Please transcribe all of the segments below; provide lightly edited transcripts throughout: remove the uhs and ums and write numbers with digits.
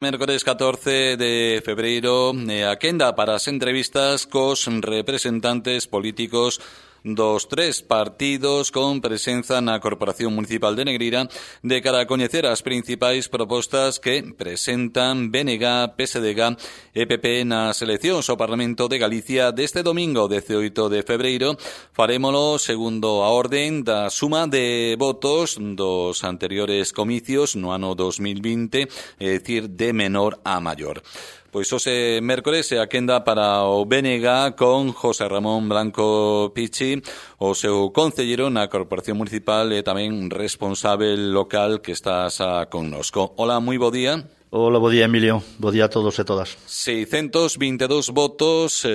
Mércores 14 de febreiro, a quenda para as entrevistas cos representantes políticos dos tres partidos con presenza na Corporación Municipal de Negreira de cara a coñecer as principais propostas que presentan BNG, PSDG e PP nas eleccións ao Parlamento de Galicia deste domingo 18 de febreiro. Farémolo segundo a orden da suma de votos dos anteriores comicios no ano 2020, é dicir, de menor a maior. Pois hoxe mércores é a quenda para o BNG con José Ramón Blanco Pichi, o seu concellero na Corporación Municipal e tamén responsável local que estás connosco. Hola, moi bo día. Hola, bo día, Emilio. Bo día a todos e todas. 622 votos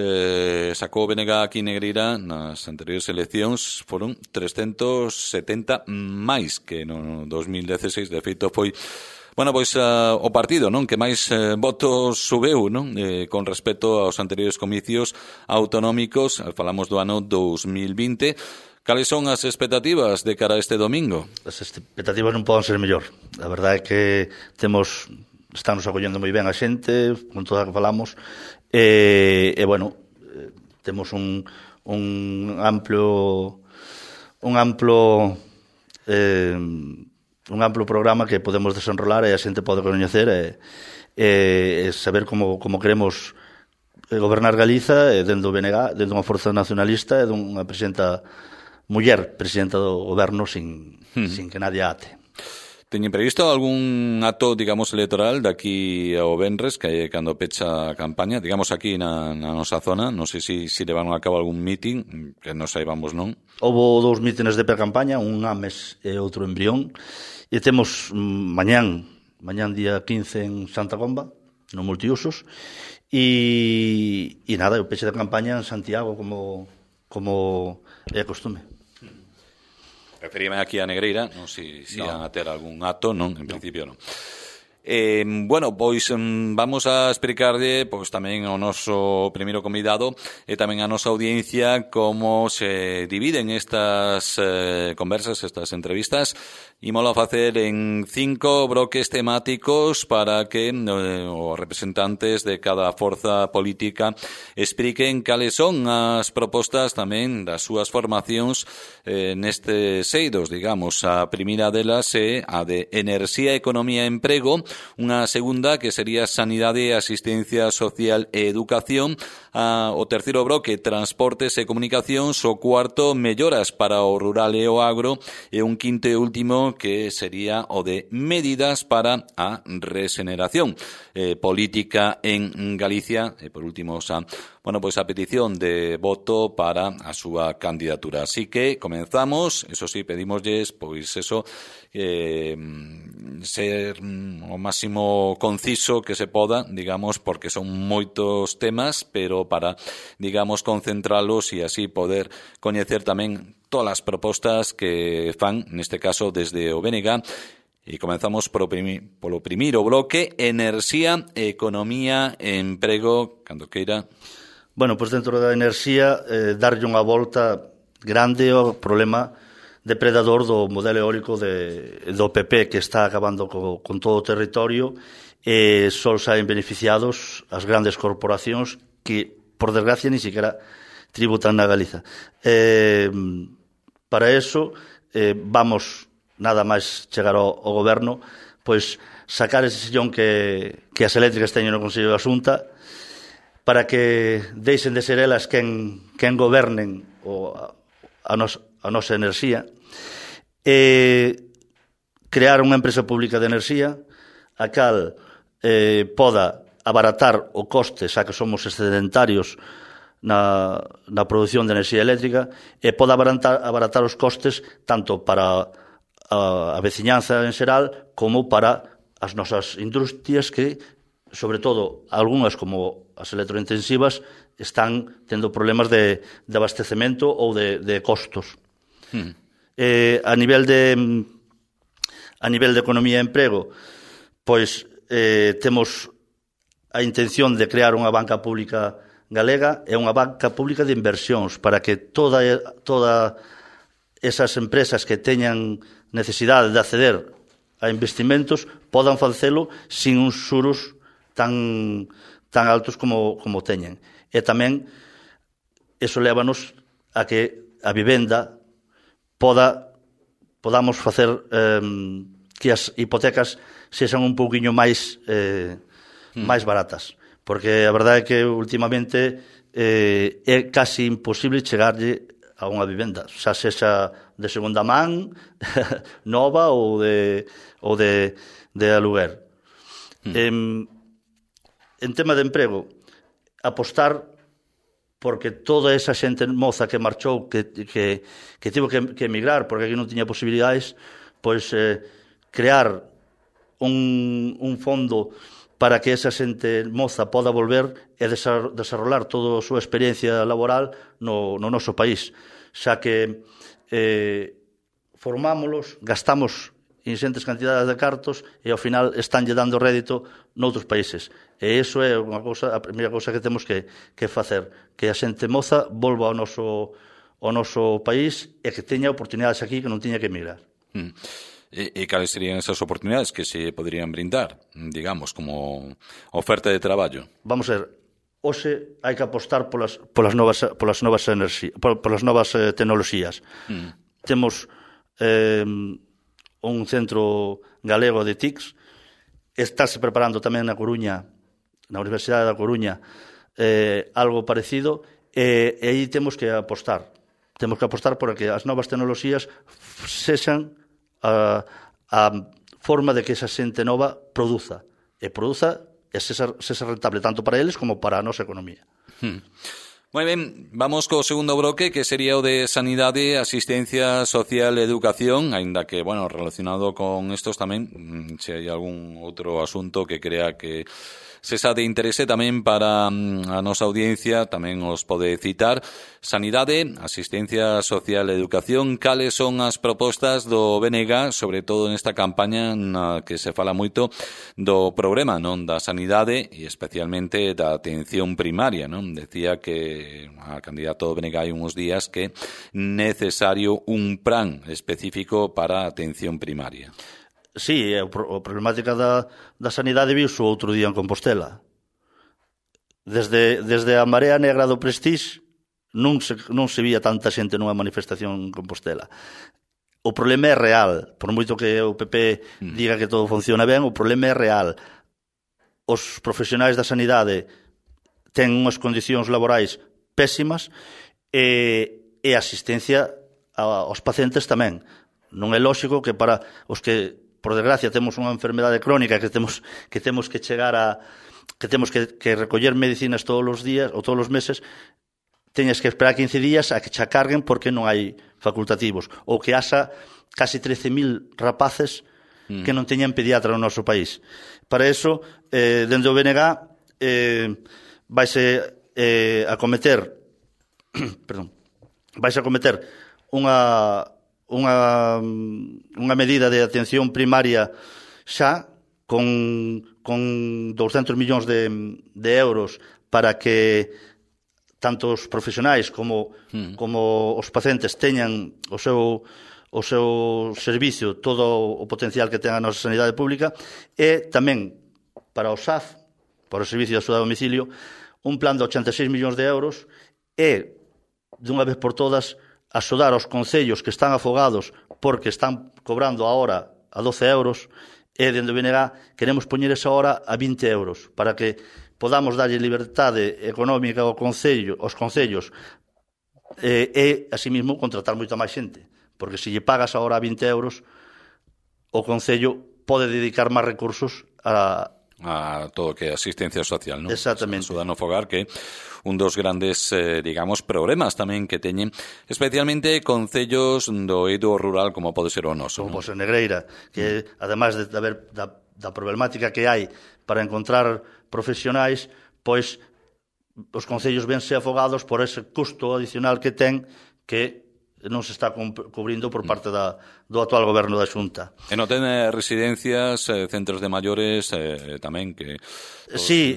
sacou o BNG aquí en Negreira nas anteriores eleccións. Foron 370 máis que no 2016. De feito, foi pois o partido, non, que máis votos subeu, non, con respecto aos anteriores comicios autonómicos. Falamos do ano 2020. Cales son as expectativas de cara a este domingo? As expectativas non poden ser mellor. A verdade é que estamos acollendo moi ben a xente, con toda a que falamos, temos un amplo programa que podemos desenrolar e a xente pode coñecer e saber como queremos gobernar Galiza dentro do BNG, dentro dunha forza nacionalista e dunha muller presidenta do goberno sin que nadie ate. Teñen previsto algún acto, digamos, electoral daqui ao venres, que é cando pecha a campaña, digamos aquí na nosa zona? Non sei se levaron a cabo algún meeting, que non saibamos, non? Houve 2 mítines de pre-campaña, un Ames e outro en Brión, e temos mañán día 15 en Santa Comba, no multiusos, e nada, o peche de campaña en Santiago como é costume. Referíame aquí a Negreira, non sei se iban a ter algún acto, non, en principio non. Pois vamos a explicarlle tamén ao noso primeiro convidado e tamén a nosa audiencia como se dividen estas conversas, estas entrevistas. Ímolo a facer en 5 bloques temáticos para que os representantes de cada forza política expliquen cales son as propostas tamén das súas formacións nestes eidos, digamos. A primeira delas é a de Enerxía, Economía e Emprego, unha segunda que sería Sanidade, Asistencia Social e Educación, o terceiro bloque Transportes e Comunicacións, o cuarto Melloras para o Rural e o Agro e un quinto e último que sería o de Medidas para a Regeneración Política en Galicia e por último a petición de voto para a súa candidatura. Así que comenzamos, eso sí, pedimosles ser o máximo conciso que se poda, digamos, porque son moitos temas, pero para, digamos, concentralos e así poder coñecer tamén todas as propostas que fan, neste caso, desde o BNG. E comenzamos polo primeiro bloque, Enerxía, Economía e Emprego, cando queira. Bueno, pois dentro da enerxía, darlle unha volta grande ao problema depredador do modelo eólico do PP que está acabando con todo o territorio e só saen beneficiados as grandes corporacións que, por desgracia, ni siquiera tributan na Galiza. Para eso, vamos nada máis chegar ao goberno, pois sacar ese sillón que as eléctricas teñen no Consello da Xunta para que deixen de ser elas quen gobernen a nosa enerxía e crear unha empresa pública de enerxía a cal poda abaratar o coste, xa que somos excedentarios na produción de enerxía eléctrica, e poda abaratar os costes tanto para a veciñanza en xeral como para as nosas industrias que, sobre todo, algunhas como as electrointensivas, están tendo problemas de abastecemento ou de costos. A nivel de economía e emprego, pois temos a intención de crear unha banca pública galega e unha banca pública de inversións para que todas esas empresas que teñan necesidade de acceder a investimentos podan facelo sin uns xuros tan altos como teñen. E tamén eso lévanos a que a vivenda podamos facer que as hipotecas sexan un pouquiño máis baratas, porque a verdade é que últimamente é casi imposible chegarlle a unha vivenda, xa sexa de segunda man, nova ou de aluguer. En tema de emprego, apostar porque toda esa xente moza que marchou, que tivo que emigrar porque aquí non tiña posibilidades, pois crear un fondo para que esa xente moza poda volver e desarrollar toda a súa experiencia laboral no noso país, xa que formámolos, gastamos ingentes cantidades de cartos e ao final estánlle dando rédito noutros países. E iso é a primeira cousa que temos que facer, que a xente moza volva ao noso país e que teña oportunidades aquí que non tiña que emigrar. E cales serían esas oportunidades que se poderían brindar, digamos, como oferta de traballo? Vamos a ver, hoxe hai que apostar polas novas tecnoloxías. Temos un centro galego de TICs, estáse preparando tamén na Coruña, na Universidade da Coruña, algo parecido, e aí temos que apostar. Temos que apostar por que as novas tecnoloxías sexan a forma de que esa xente nova produza e sexa rentable tanto para eles como para a nosa economía. Moi ben, vamos co segundo bloque, que sería o de sanidade, asistencia social e educación, aínda que, bueno, relacionado con estos tamén, se hai algún outro asunto que crea que sexa de interese tamén para a nosa audiencia, tamén os pode citar. Sanidade, asistencia social e educación, cales son as propostas do BNG, sobre todo nesta campaña na que se fala moito do problema, non, da sanidade e especialmente da atención primaria, non? Decía que a candidato do BNG hai uns días que é necesario un plan específico para a atención primaria. Sí, a problemática da sanidade viuse o outro día en Compostela. Desde a Marea Negra do Prestige non se vía tanta xente nunha manifestación en Compostela. O problema é real, por moito que o PP diga que todo funciona ben, o problema é real. Os profesionais da sanidade ten unhas condicións laborais pésimas e a asistencia aos pacientes tamén. Non é lóxico que para os que, por desgracia, temos unha enfermedade crónica que temos que chegar a que temos que recoller medicinas todos os días ou todos os meses, teñes que esperar 15 días a que che carguen porque non hai facultativos, ou que haxa casi 13.000 rapaces que non teñan pediatra no noso país. Para eso, dende o BNG vaise acometer unha medida de atención primaria xa con 200 millóns de euros para que tanto os profesionais como os pacientes teñan o seu servicio, todo o potencial que ten a nosa sanidade pública, e tamén para o SAF, para o Servicio de Axuda a Domicilio, un plan de 86 millóns de euros e, dunha vez por todas, axudar aos concellos que están afogados porque están cobrando a hora a 12 euros, e dende o BNG queremos poñer esa hora a 20 euros para que podamos darlle liberdade económica aos concellos e, así mismo, contratar moita máis xente, porque se lle pagas a hora a 20 euros, o concello pode dedicar máis recursos a todo o que é asistencia social, non? Exactamente. Axuda no fogar, que un dos grandes, digamos, problemas tamén que teñen, especialmente concellos do eido rural como pode ser o noso. Como pode ser Negreira, que ademais de haber da problemática que hai para encontrar profesionais, pois os concellos vense afogados por ese custo adicional que ten, que non se está cubrindo por parte do actual goberno da Xunta. E non ten residencias, centros de maiores tamén que sí,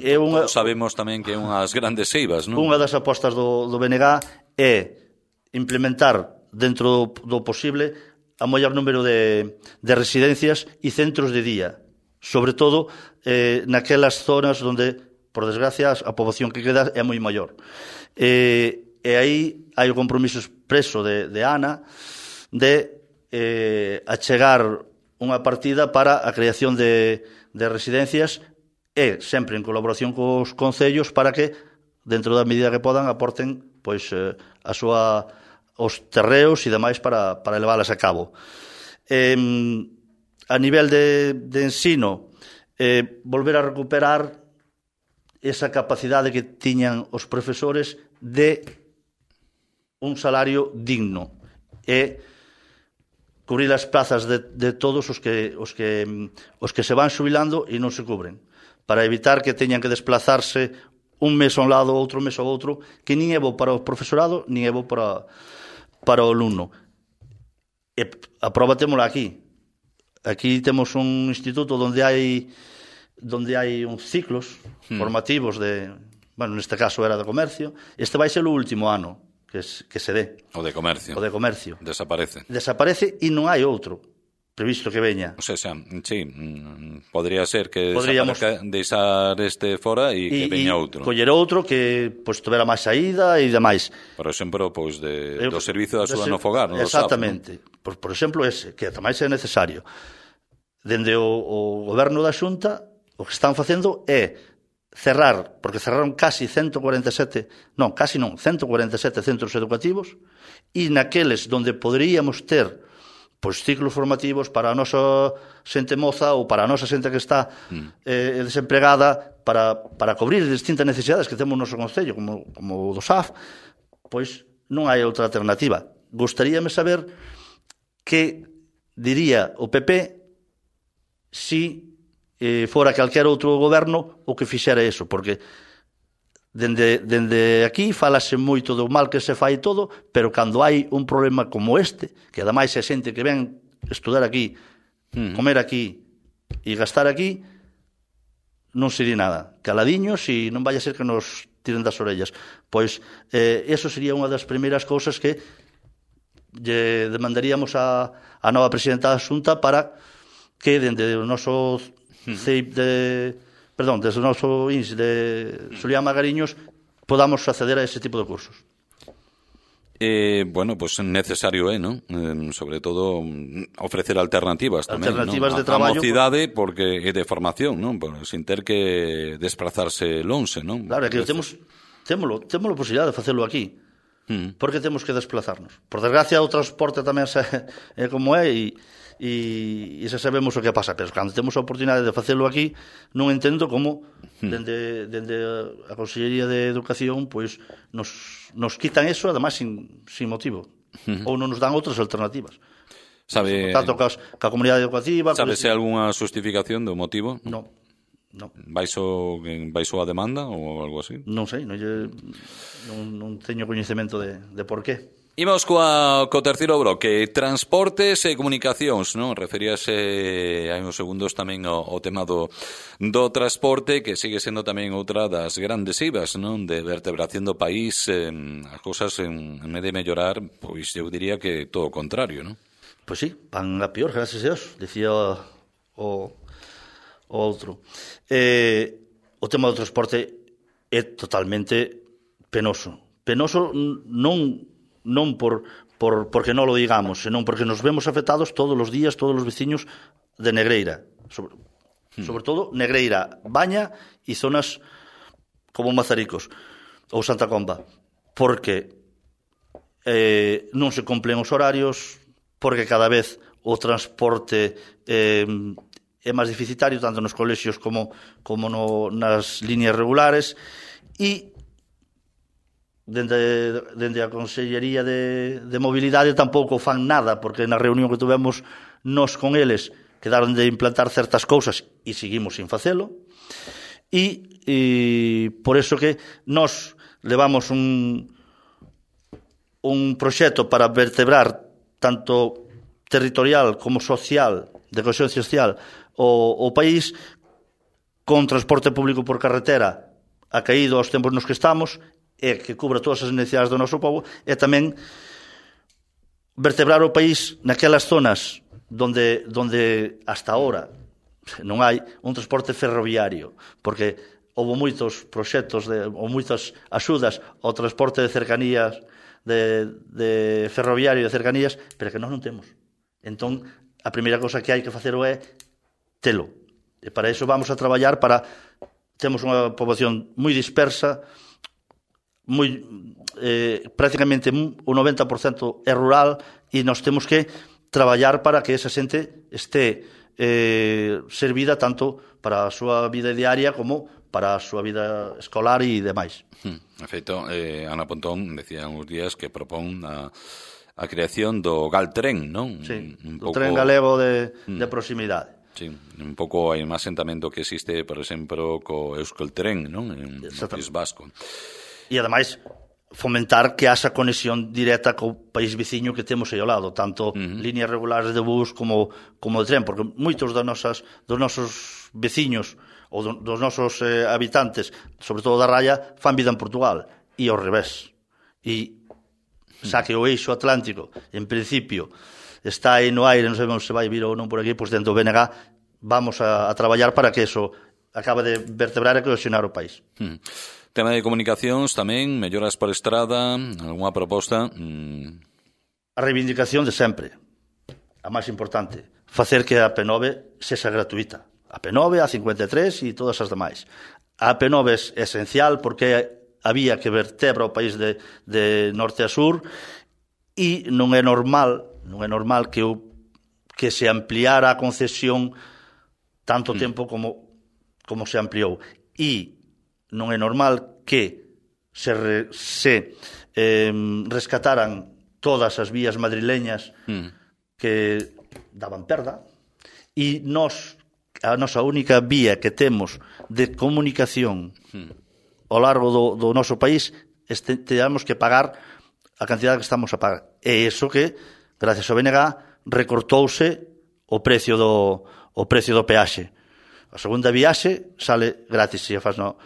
sabemos tamén que é unhas grandes seivas, non? Unha das apostas do BNG é implementar dentro do posible a maior número de residencias e centros de día. sobre todo naquelas zonas onde, por desgracia, a poboación que queda é moi maior. E aí hai o compromiso expreso de Ana de achegar unha partida para a creación de residencias e sempre en colaboración cos concellos para que, dentro da medida que podan, aporten pois os terreos e demais para leválas a cabo. A nivel de ensino, volver a recuperar esa capacidade que tiñan os profesores de un salario digno e cubrir as plazas de todos os que se van xubilando e non se cubren, para evitar que teñan que desplazarse un mes a un lado, outro mes ao outro, que nin é bo para o profesorado, nin é bo para o alumno. E a proba témola aquí. Aquí temos un instituto onde hai uns ciclos formativos neste caso era de comercio. Este vai ser o último ano que se dé. O de comercio. Desaparece e non hai outro previsto que veña. O sea, sí, podría ser que desaparezca, deixar este fora e que veña outro. Coller outro que tuvera máis saída e demais. Por exemplo, do servizo de axuda no fogar. Exactamente. Por exemplo, ese, que tamén é necesario. Dende o goberno da Xunta, o que están facendo é cerrar, porque cerraron casi 147 centros educativos, e naqueles donde poderíamos ter ciclos formativos para a nosa xente moza ou para a nosa xente que está desempregada para cobrir distintas necesidades que temos no noso concello, como o do SAF, pois non hai outra alternativa. Gostaríame saber que diría o PP si fora calquer outro goberno o que fixera eso, porque dende aquí falase moito do mal que se fai todo, pero cando hai un problema como este, que ademais é xente que ven estudar aquí, comer aquí e gastar aquí, non se di nada. Caladiños e non vai a ser que nos tiren das orellas. Pois eso sería unha das primeiras cousas que lle demandaríamos a nova presidenta da Xunta para que dende o noso desde o noso INS de Xulián Magariños podamos acceder a ese tipo de cursos. Necesario é, non? Sobre todo ofrecer alternativas tamén, alternativas non? De traballo. A mocidade porque é de formación, non? Sin ter que desplazarse lonxe, non? Claro, é que temos a posibilidade de facelo aquí. Porque temos que desplazarnos. Por desgracia, o transporte tamén é como é e xa sabemos o que pasa, pero cando temos a oportunidade de facelo aquí, non entendo como dende a Consellería de Educación pois nos quitan eso, además sin motivo, ou non nos dan outras alternativas. Tanto ca comunidade educativa. Sabe se algunha justificación do motivo? Non. Baixo a demanda ou algo así? Non sei, non teño coñecemento de por qué. Imos co terceiro bloque, transportes e comunicacións, non? Referíase hai uns segundos tamén ao tema do transporte, que sigue sendo tamén outra das grandes ibas, non? De vertebración do país, as cousas en vez de mellorar, pois eu diría que todo o contrario, non? Pois sí, van a pior, gracias a Dios, decía o outro. O tema do transporte é totalmente penoso. Penoso non porque non lo digamos, senón porque nos vemos afectados todos os días, todos os veciños de Negreira. Sobre todo Negreira, Baña e zonas como Mazaricos ou Santa Comba. Porque non se cumplen os horarios, porque cada vez o transporte é máis deficitario, tanto nos colexios como nas líneas regulares, e dende a Consellería de Mobilidade tampouco fan nada, porque na reunión que tuvemos nos con eles quedaron de implantar certas cousas e seguimos sin facelo, e por eso que nos levamos un proxecto para vertebrar tanto territorial como social, de cohesión social, o país, con transporte público por carretera acaído aos tempos nos que estamos, e que cubra todas as necesidades do noso povo, e tamén vertebrar o país naquelas zonas donde hasta ahora non hai un transporte ferroviario, porque houve moitos proxectos ou moitas axudas ao transporte de cercanías, de ferroviario de cercanías, pero que nós non temos. Entón, a primeira cosa que hai que facer é telo. E para iso vamos a traballar para... Temos unha poboación moi dispersa, prácticamente o 90% é rural, e nós temos que traballar para que esa xente este servida tanto para a súa vida diaria como para a súa vida escolar e demais. De feito, Ana Pontón decía uns días que propón a creación do Galtren, non? Sí, do tren galego de proximidade. Sí, un pouco hai máis asentamento que existe, por exemplo, co Euskaltren, non? En o País Vasco. E, ademais, fomentar que haxa conexión directa co país veciño que temos aí ao lado, tanto líneas regulares de bus como de tren, porque moitos dos nosos veciños ou dos nosos habitantes, sobre todo da Raya, fan vida en Portugal, e ao revés. E xa que o eixo atlántico, en principio, está aí no aire, non sabemos se vai vir ou non por aquí, pois dentro do BNG vamos a traballar para que eso acabe de vertebrar e cohesionar o país. Tema de comunicacións tamén, melloras por estrada, algunha proposta? A reivindicación de sempre, a máis importante, facer que a P9 sexa gratuita. A P9, a 53 e todas as demais. A P9 é esencial porque a vía que vertebra o país de norte a sur, e non é normal que se ampliara a concesión tanto tempo como se ampliou. E non é normal que se rescataran todas as vías madrileñas que daban perda, e a nosa única vía que temos de comunicación ao largo do noso país teamos que pagar a cantidade que estamos a pagar. E iso que, gracias ao BNG, recortouse o precio do peaxe. A segunda viaxe sale gratis se a faz no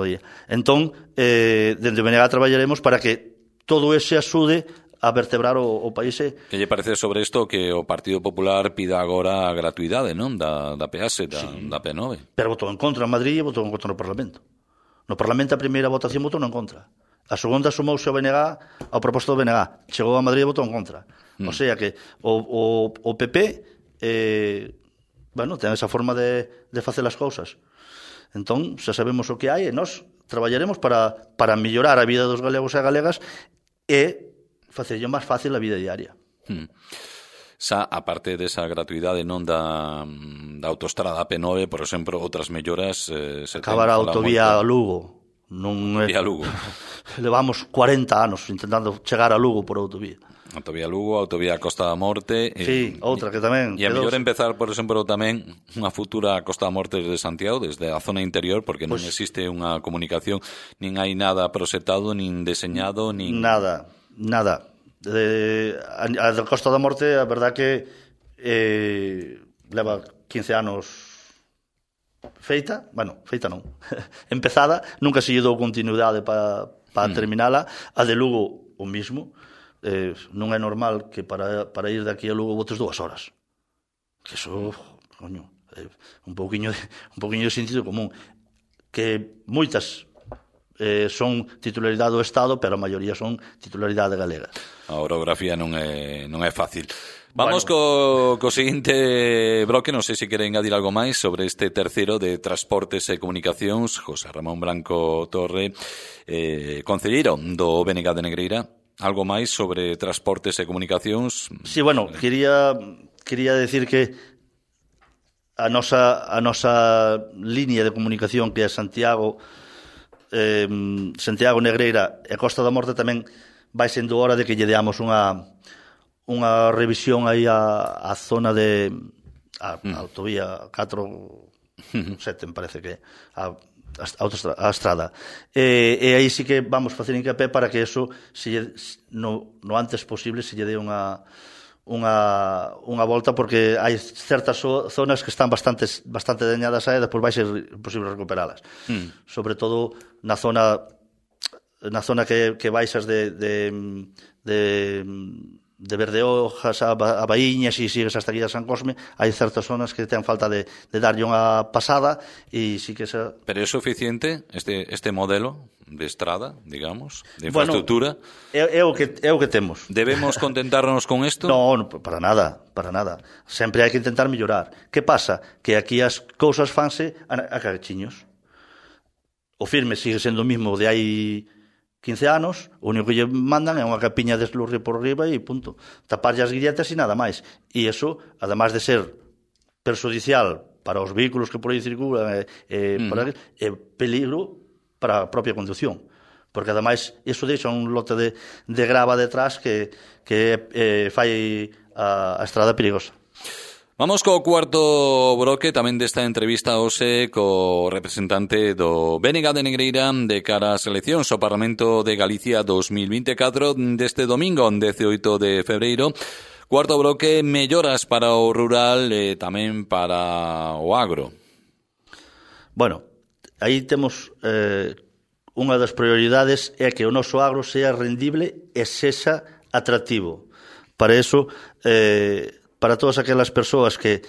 día. Entón, dende o BNG traballaremos para que todo ese axude a vertebrar o país. Que lle parece sobre isto que o Partido Popular pida agora a gratuidade, non? Da peaxe, da P9. Pero votou en contra en Madrid e votou en contra no Parlamento. No Parlamento a primeira votación votou en contra. A segunda sumouse ao BNG ao proposto do BNG. Chegou a Madrid e votou en contra. O sea que o PP ten esa forma de facer as cousas. Entón, xa sabemos o que hai e nós traballaremos para mellorar a vida dos galegos e galegas e facerlle máis fácil a vida diaria. Xa, a parte desa gratuidade non da autostrada P9, por exemplo, outras melloras... Acabar a autovía a Lugo. Vía Lugo. Levamos 40 anos intentando chegar a Lugo por autovía. Autovía Lugo, autovía Costa da Morte... Sí, outra que tamén... E a mellor empezar, por exemplo, tamén unha futura Costa da Morte desde Santiago, desde a zona interior, porque non existe unha comunicación, nin hai nada proxectado, nin deseñado, nin... Nada. A da Costa da Morte, a verdad que leva 15 anos feita non, empezada, nunca se lle dou continuidade para terminala. A de Lugo, o mismo. Non é normal que para ir de aquí a Lugo botes 2 horas. Que iso, coño, un pouquiño de sentido común. Que moitas son titularidade do Estado, pero a maioría son titularidade galega. A orografía non é fácil. Vamos co seguinte bloque, non sei se quere engadir algo máis sobre este terceiro de Transportes e Comunicacións. José Ramón Branco Torre, concelleiro do BNG de Negreira. Algo máis sobre transportes e comunicacións? Sí, bueno, quería decir que a nosa línea de comunicación, que é Santiago Negreira e Costa da Morte, tamén vai sendo hora de que lle deamos unha revisión aí a zona de a autovía 4-7, me parece que a estrada. E aí sí que vamos facer hincapié para que eso no antes posible se lle dé unha volta, porque hai certas zonas que están bastante dañadas e despois vai ser imposible recuperalas. Sobre todo na zona que baixas de de Verdeojas a Baíñas e sigues hasta aquí a San Cosme, hai certas zonas que ten falta de darlle unha pasada e sí que esa... Pero é suficiente este modelo de estrada, digamos, de infraestructura? Bueno, é o que temos. Debemos contentarnos con isto? No, para nada. Sempre hai que intentar mellorar. Que pasa? Que aquí as cousas fanse a carechiños. O firme sigue sendo o mismo de hai 15 anos, o único que lle mandan é unha capiña de eslurre por riba e punto. Taparlle as grilletas e nada máis. E iso, además de ser perjudicial para os vehículos que por aí circulan, é peligro para a propia conducción. Porque ademais iso deixa un lote de grava detrás que fai a estrada perigosa. Vamos co cuarto bloque tamén desta entrevista hoxe co representante do BNG de Negreira de cara ás eleccións ao Parlamento de Galicia 2024 deste domingo, 18 de febreiro. Cuarto bloque, melloras para o rural e tamén para o agro. Bueno, aí temos unha das prioridades é que o noso agro sea rendible e sexa atractivo. Para eso... para todas aquelas persoas que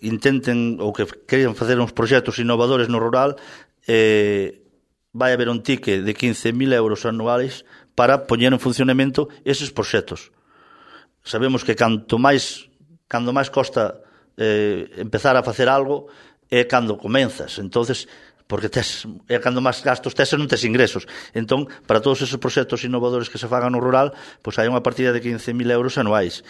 intenten ou que queiran facer uns proxectos innovadores no rural, vai haber un ticket de 15.000 euros anuais para poñer en funcionamento eses proxectos. Sabemos que cando máis costa empezar a facer algo é cando comenzas. Entonces, porque é cando máis gastos tes e non tes ingresos. Entón, para todos esos proxectos innovadores que se fagan no rural, pois hai unha partida de 15.000 euros anuais.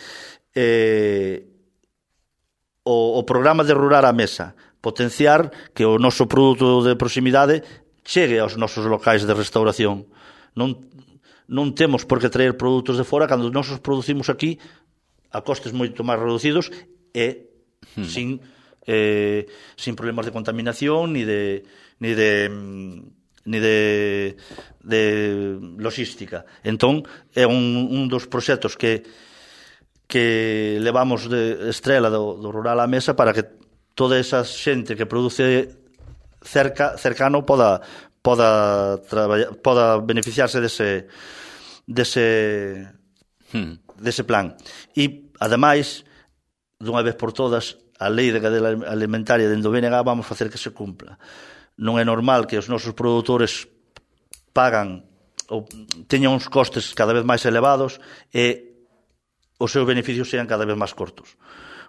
O programa de Rural á Mesa, potenciar que o noso produto de proximidade chegue aos nosos locais de restauración. Non temos por que traer produtos de fora cando nós os producimos aquí a costes moito máis reducidos e sin problemas de contaminación ni de logística. Entón, é un dos proxectos que levamos de estrela do Rural á Mesa para que toda esa xente que produce cercano poda beneficiarse dese plan. E, ademais, dunha vez por todas, a lei de cadea alimentaria dentro do BNG vamos facer que se cumpla. Non é normal que os nosos produtores pagan ou teñan uns costes cada vez máis elevados e os seus beneficios sean cada vez máis cortos.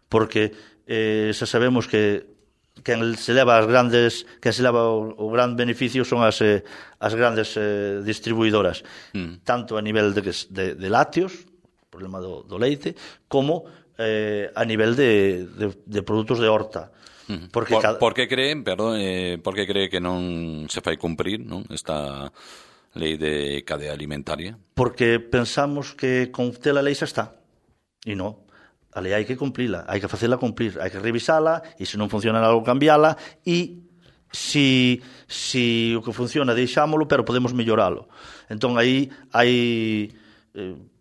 Porque xa sabemos que quen se leva o gran beneficio son as grandes distribuidoras, tanto a nivel de lácteos, problema do leite, como a nivel de produtos de horta. Por que cree que non se fai cumprir, non, esta lei de cadea alimentaria? Porque pensamos que con tela lei xa está. E non, a lei hai que cumplila, hai que facela cumplir, hai que revisala e se non funciona algo cambiala e si o que funciona deixámolo, pero podemos melloralo. Entón aí hai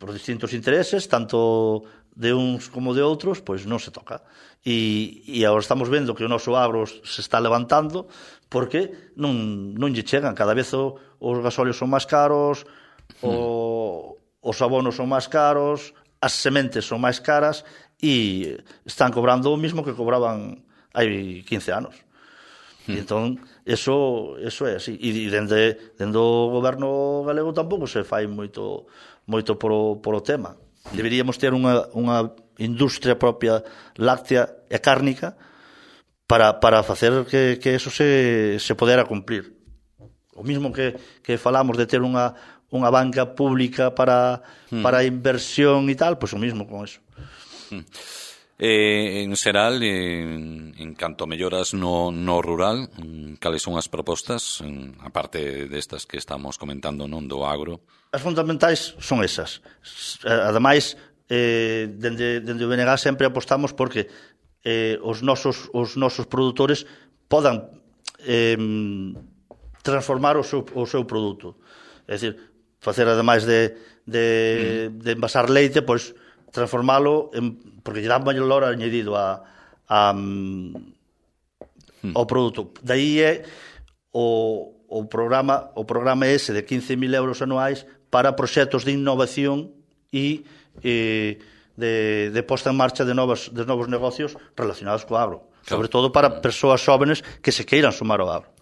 por distintos intereses, tanto de uns como de outros, pois non se toca. E agora estamos vendo que o noso agro se está levantando porque non lle chegan. Cada vez os gasóleos son máis caros, os abonos son máis caros, as sementes son máis caras e están cobrando o mismo que cobraban hai 15 anos. E entón, eso é así. E dende o goberno galego tampouco se fai moito por o tema. Deberíamos ter unha industria propia láctea e cárnica para facer que eso se podera cumplir. O mismo que falamos de ter unha banca pública para inversión e tal, pois o mismo con eso. En xeral, en canto a melloras no rural, cales son as propostas, a parte destas que estamos comentando, non, do agro? As fundamentais son esas. Ademais, dende o BNG sempre apostamos porque os nosos produtores podan transformar o seu produto. É dicir, facer ademais de envasar leite, pois transformalo porque lle dá valor añadido ao produto. Daí é o programa ese de 15.000 euros anuais para proxectos de innovación e de posta en marcha de novos negocios relacionados co agro. Sobre todo para persoas xóvenes que se queiran sumar ao agro.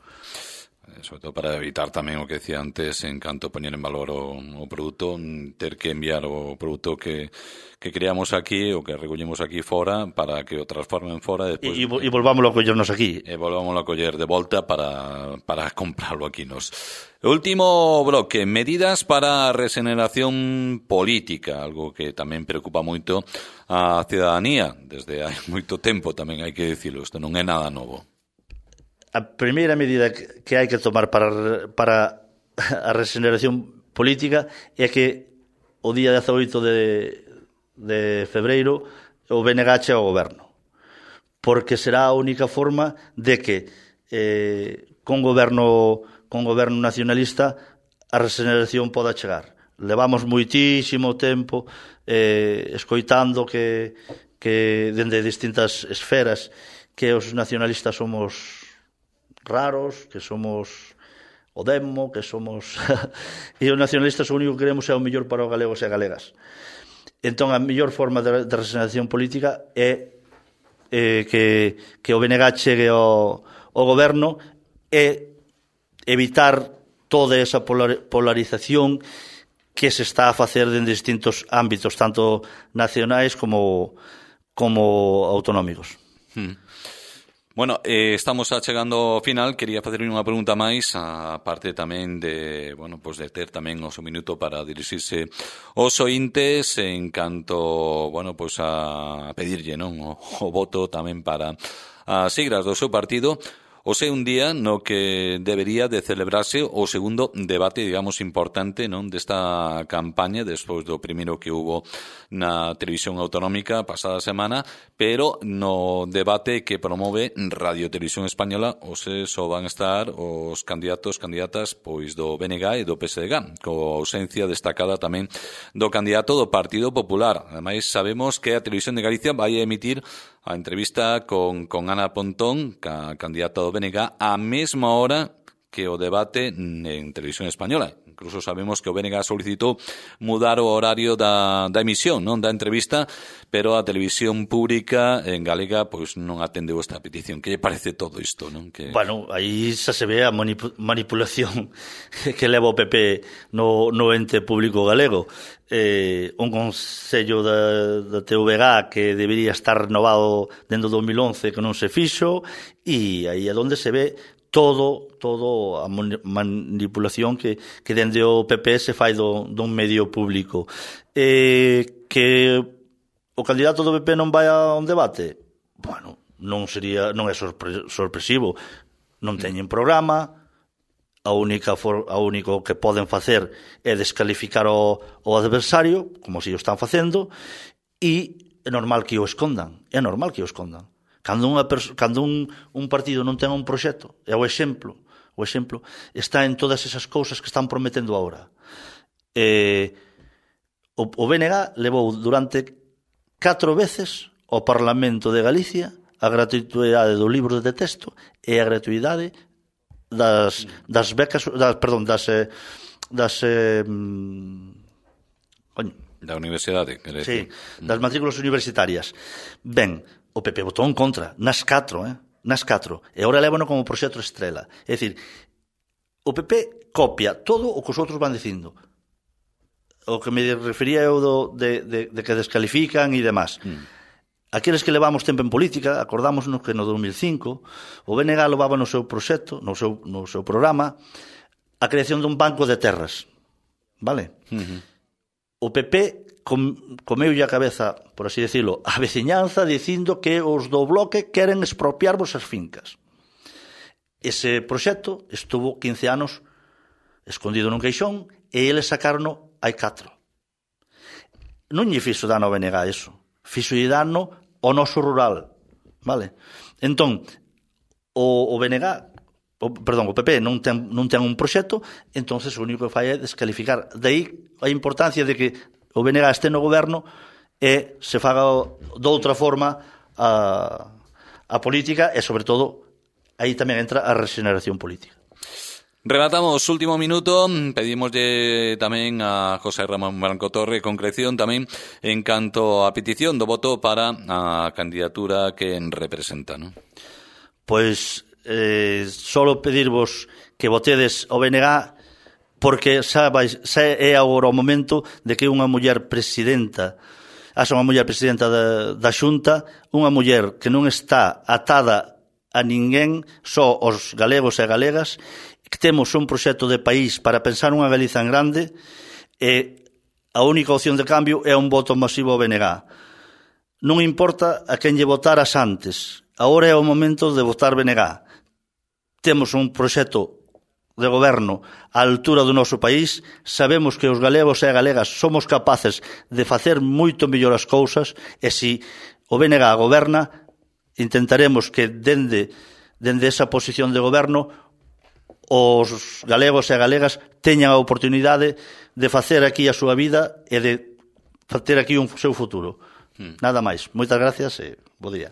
Sobre todo para evitar tamén o que decía antes, en canto poñer en valor o produto, ter que enviar o produto que creamos aquí ou que recollemos aquí fora para que o transformen fora e volvámoslo a collernos aquí. E volvámoslo a coller de volta para comprarlo aquí nos. O último bloque, medidas para a regeneración política, algo que tamén preocupa moito a cidadanía desde hai moito tempo, tamén hai que dicilo, isto non é nada novo. A primeira medida que hai que tomar para a regeneración política é que o día 18 de febreiro o BNG chega ao goberno, porque será a única forma de que con goberno nacionalista a regeneración poda chegar. Levamos moitísimo tempo escoitando que dende distintas esferas que os nacionalistas somos raros, que somos o demo, que somos e os nacionalistas o único que queremos é o mellor para os galegos e galegas. Entón a mellor forma de regeneración política é que o BNG chegue ao goberno e evitar toda esa polarización que se está a facer en distintos ámbitos, tanto nacionais como autonómicos. Bueno, estamos chegando ao final. Quería facerle unha pregunta máis, a parte tamén de, bueno, pues de ter tamén o seu minuto para dirixirse aos ointes en canto, bueno, pues a pedirlle, non, o voto tamén para as siglas do seu partido. O sea, un día no que debería de celebrarse o segundo debate, digamos, importante, non, desta campaña, despois do primeiro que hubo na televisión autonómica pasada semana, pero no debate que promove Radio Televisión Española, só van estar os candidatos, candidatas, pois do BNG e do PSDG, coa ausencia destacada tamén do candidato do Partido Popular. Ademais, sabemos que a Televisión de Galicia vai emitir a entrevista con Ana Pontón, candidata do BNG, a mesma hora que o debate en Televisión Española. Incluso sabemos que o BNG solicitou mudar o horario da emisión, non, da entrevista, pero a televisión pública en galega pois non atendeu esta petición. Que lle parece todo isto, non? Bueno, aí xa se ve a manipulación que leva o PP no ente público galego. Un consello da TVG que debería estar renovado dentro do 2011 que non se fixo, e aí é onde se ve todo a manipulación que dende o PP se fai dun medio público. Que o candidato do PP non vai a un debate? Bueno, non é sorpresivo. Non teñen programa. O único que poden facer é descalificar o adversario, como se o están facendo, e é normal que o escondan. Cando un partido non ten un proxecto, é o exemplo está en todas esas cousas que están prometendo agora. O BNG levou durante 4 veces ao Parlamento de Galicia a gratuidade do libro de texto e a gratuidade das becas, da universidade, sí, das matrículas universitarias. Ben, o PP votou en contra nas 4, e agora lévano como proxecto estrela. É dicir, o PP copia todo o que os outros van dicindo. O que me refería eu de que descalifican e demás. Aqueles que levamos tempo en política, acordámonos que no 2005 o BNG levaba no seu proxecto, no seu programa, a creación dun banco de terras. Vale? O PP comeulle a cabeza, por así decirlo, a veciñanza dicindo que os do bloque queren expropiarvos as fincas. Ese proxecto estuvo 15 anos escondido nun queixón e eles sacaron hai 4. Non lle fixo dano ao BNG eso. Fixo dano ao noso rural, vale? Entón, o BNG, o PP non ten un proxecto, entonces o único que fai é descalificar. De aí a importancia de que o BNG este no goberno e se faga de outra forma a política e, sobre todo, aí tamén entra a regeneración política. Rematamos último minuto, pedimoslle tamén a José Ramón Branco Torre concreción tamén en canto a petición do voto para a candidatura que representa, non? Pois solo pedirvos que votedes o BNG porque xa é agora o momento de que unha muller presidenta unha muller presidenta da Xunta, unha muller que non está atada a ninguén, só os galegos e galegas, que temos un proxecto de país para pensar unha Galiza en grande e a única opción de cambio é un voto masivo ao BNG. Non importa a quen lle votaras antes, agora é o momento de votar BNG. Temos un proxecto de goberno á altura do noso país, sabemos que os galegos e galegas somos capaces de facer moito mellor as cousas e se o BNG goberna, intentaremos que dende esa posición de goberno os galegos e galegas teñan a oportunidade de facer aquí a súa vida e de facer aquí un seu futuro. Nada máis. Moitas gracias e bo día.